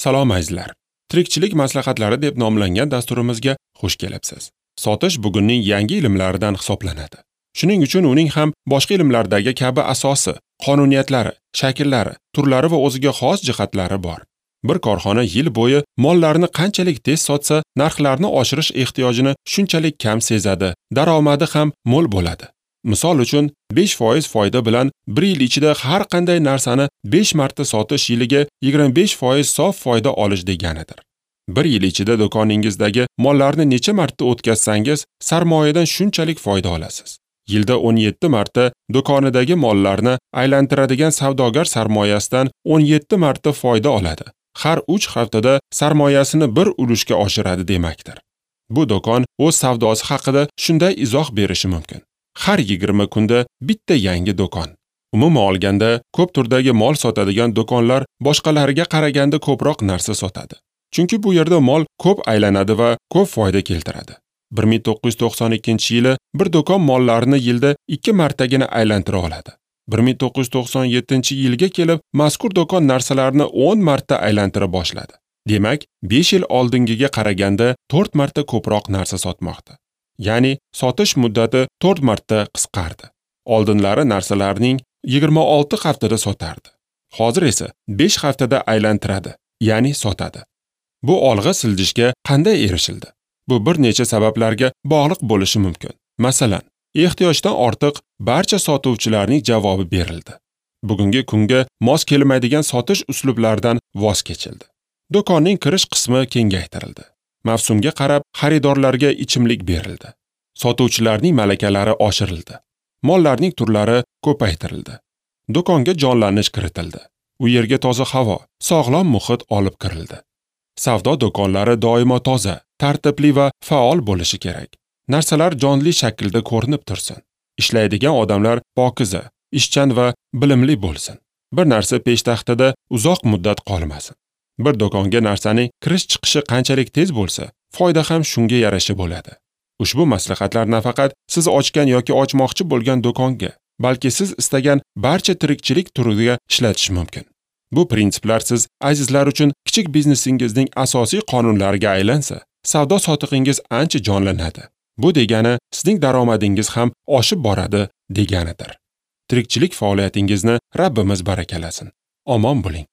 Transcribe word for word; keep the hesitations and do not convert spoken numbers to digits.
Salom azizlar. Tirikchilik maslahatlari deb nomlangan dasturimizga xush kelibsiz. Sotish bugunning yangi ilmlaridan hisoblanadi. Shuning uchun uning ham boshqa ilmlardagi kabi asosi, qonuniyatlari, shakllari, turlari va o'ziga xos jihatlari bor. Bir korxona yil bo'yi mollarni qanchalik tez sotsa, narxlarni oshirish ehtiyojini shunchalik kam sezadi, daromadi ham mo'l bo'ladi. Misol uchun, besh foiz foyda bilan bir yil ichida har qanday narsani besh marta sotish yiliga yigirma besh foiz sof foyda olish deganidir. Bir yil ichida do'koningizdagi mollarni necha marta o'tkazsangiz, sarmoyadan shunchalik foyda olasiz. Yilda o'n yetti marta do'konidagi mollarni aylantiradigan savdogar sarmoyasidan o'n yetti marta foyda oladi. Har uch haftada sarmoyasini bir ulushga oshiradi demakdir. Bu do'kon o'z savdosi haqida shunday izoh berishi mumkin. Har yigirma kunda bitta yangi do'kon. Umuman olganda, ko'p turdagi mol sotadigan do'konlar boshqalariga qaraganda ko'proq narsa sotadi. Chunki bu yerda mol ko'p aylanadi va ko'p foyda keltiradi. bir ming to'qqiz yuz to'qson ikkinchi yili bir do'kon mollarni yilda ikki martagina aylantira oladi. bir ming to'qqiz yuz to'qson yettinchi yilga kelib mazkur do'kon narsalarni o'n marta aylantira boshladi. Demak, besh yil oldingiga qaraganda to'rt marta ko'proq narsa sotmoqda. Ya'ni sotish muddati to'rt marta qisqardi. Oldinlari narsalarning yigirma olti haftada sotardi. Hozir esa besh haftada aylantiradi, ya'ni sotadi. Bu olg'a siljishga qanday erishildi? Bu bir necha sabablarga bog'liq bo'lishi mumkin. Masalan, ehtiyojdan ortiq barcha sotuvchilarning javobi berildi. Bugungi kunga mos kelmaydigan sotish uslublaridan voz kechildi. Do'konning kirish qismi kengaytirildi. Mavsumga qarab xaridorlarga ichimlik berildi. Sotuvchilarning malakalari oshirildi. Mollarning turlari ko'paytirildi. Do'konga jonlanish kiritildi. U yerga toza havo, sog'lom muhit olib kirildi. Savdo do'konlari doimo toza, tartibli va faol bo'lishi kerak. Narsalar jonli shaklda ko'rinib tursin. Ishlaydigan odamlar pokiza, ishchan va bilimli bo'lsin. Bir narsa peshtaxtada uzoq muddat qolmasin. Bir do'konga narsaning kirish-chiqishi qanchalik tez bo'lsa, foyda ham shunga yarasha bo'ladi. Ushbu maslahatlar nafaqat siz ochgan yoki ochmoqchi bo'lgan do'konga, balki siz istagan barcha tirikchilik turiga ishlatish mumkin. Bu prinsiplar siz azizlar uchun kichik biznesingizning asosiy qonunlariga aylansa, savdo sotig'ingiz ancha jonlanadi. Bu degani sizning daromadingiz ham oshib boradi deganidir. Tirikchilik faoliyatingizni Rabbimiz barakalasin. Omon bo'ling.